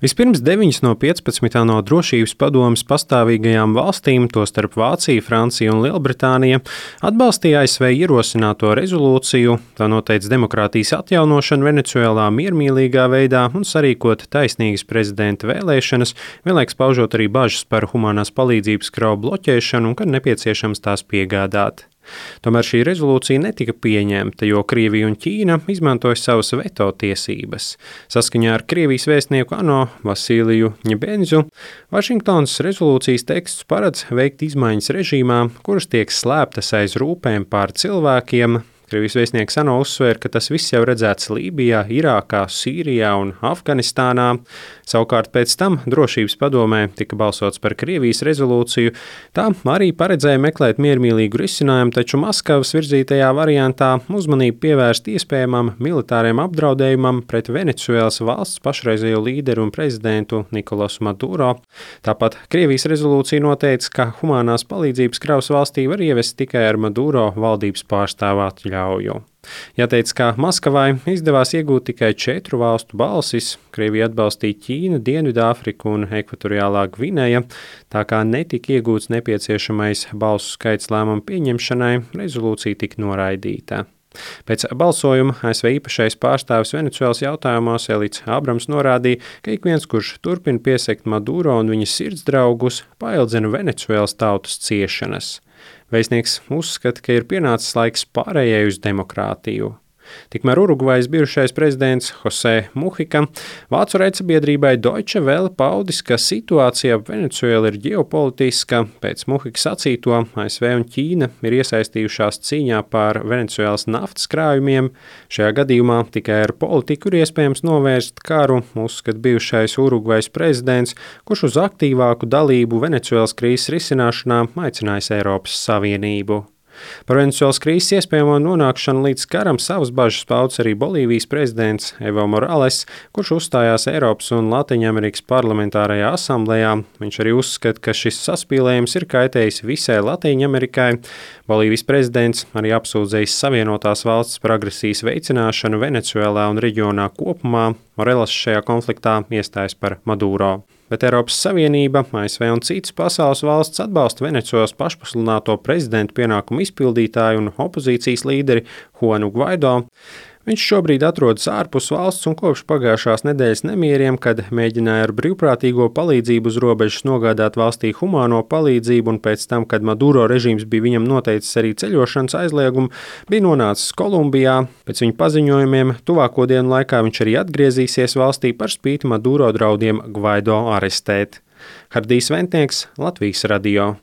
Vispirms 9 no 15 no Drošības padomes pastāvīgajām valstīm, tostarp Vācija, Francija un Lielbritānija, atbalstīja ASV ierosināto rezolūciju, tā noteica demokrātijas atjaunošanu Venecuēlā miermīlīgā veidā un sarīkot taisnīgas prezidenta vēlēšanas, vienlaikus paužot arī bažas par humanās palīdzības kravu bloķēšanu un, kad nepieciešams, tās piegādāt. Tomēr šī rezolūcija netika pieņemta, jo Krievija un Ķīna izmantoja savas veto tiesības. Saskaņā ar Krievijas vēstnieku ANO Vasiliju Ņebenzu, Vašingtonas rezolūcijas teksts paredz veikt izmaiņas režīmā, kuras tiek slēptas aiz rūpēm pār cilvēkiem. Krievijas vēstnieks ANO uzsvēra, ka tas viss jau redzēts Lībijā, Irākā, Sīrijā un Afganistānā. Savukārt pēc tam Drošības padomē tika balsots par Krievijas rezolūciju. Tā arī paredzēja meklēt miermīlīgu risinājumu, taču Maskavas virzītajā variantā uzmanību pievērst iespējamam militāriem apdraudējumam pret Venecuēlas valsts pašreizējo līderu un prezidentu Nikolasu Maduro. Tāpat Krievijas rezolūcija noteica, ka humanās palīdzības kravas valstī var ievest tikai ar Maduro valdības pārstāvu atļauju. Jāteic, ka Maskavai izdevās iegūt tikai 4 valstu balsis. Krievija atbalstīja Ķīnu, Dienvidāfriku un Ekvatoriālā Gvineja, tā kā netika iegūts nepieciešamais balsu skaits lēmumu pieņemšanai, rezolūcija tika noraidīta. Pēc balsojuma ASV īpašais pārstāvis Venecuēlas jautājumos Elits Abrams norādīja, ka ik viens, kurš turpina piesekt Maduro un viņa sirdsdraugus, paildzina Venecuēlas tautas ciešanas. Vēstnieks uzskata, ka ir pienācis laiks pārējai uz demokrātiju. Tikmēr Urugvajas bijušais prezidents Jose Muhika vācu raidsabiedrībai Deutsche Welle paudis, ka situācija ap Venecuēlu ir ģeopolitiska. Pēc Muhikas sacīto ASV un Ķīna ir iesaistījušās cīņā par Venecuēlas naftas krājumiem. Šajā gadījumā tikai ar politiku ir iespējams novērst karu, uzskata bijušais Urugvajas prezidents, kurš uz aktīvāku dalību Venecuēlas krīzes risināšanā aicinājis Eiropas Savienību. Par Venecuēlas krīzes iespējamo nonākšanu līdz karam savas bažas pauds arī Bolīvijas prezidents Evo Morales, kurš uzstājās Eiropas un Latīņamerikas parlamentārajā asamblejā. Viņš arī uzskata, ka šis saspīlējums ir kaitējis visai Latīņamerikai. Bolīvijas prezidents arī apsūdzējis Savienotās valstis par agresijas veicināšanu Venecuēlā un reģionā kopumā. Morales šajā konfliktā iestājas par Maduro. Bet Eiropas Savienība, ASV un citas pasaules valsts atbalsta Venecuēlas pašpasludināto prezidentu pienākumu izpildītāju un opozīcijas līderi Juanu Guaido. Viņš šobrīd atrodas ārpus valsts un kopš pagājušās nedēļas nemieriem, kad mēģināja ar brīvprātīgo palīdzību uz robežas nogādāt valstī humāno palīdzību un pēc tam, kad Maduro režīms bija viņam noteicis arī ceļošanas aizliegumu, bija nonācis Kolumbijā. Pēc viņa paziņojumiem tuvāko dienu laikā viņš arī atgriezīsies valstī par spīti Maduro draudiem Guaido arestēt. Hardijs Ventnieks, Latvijas radio.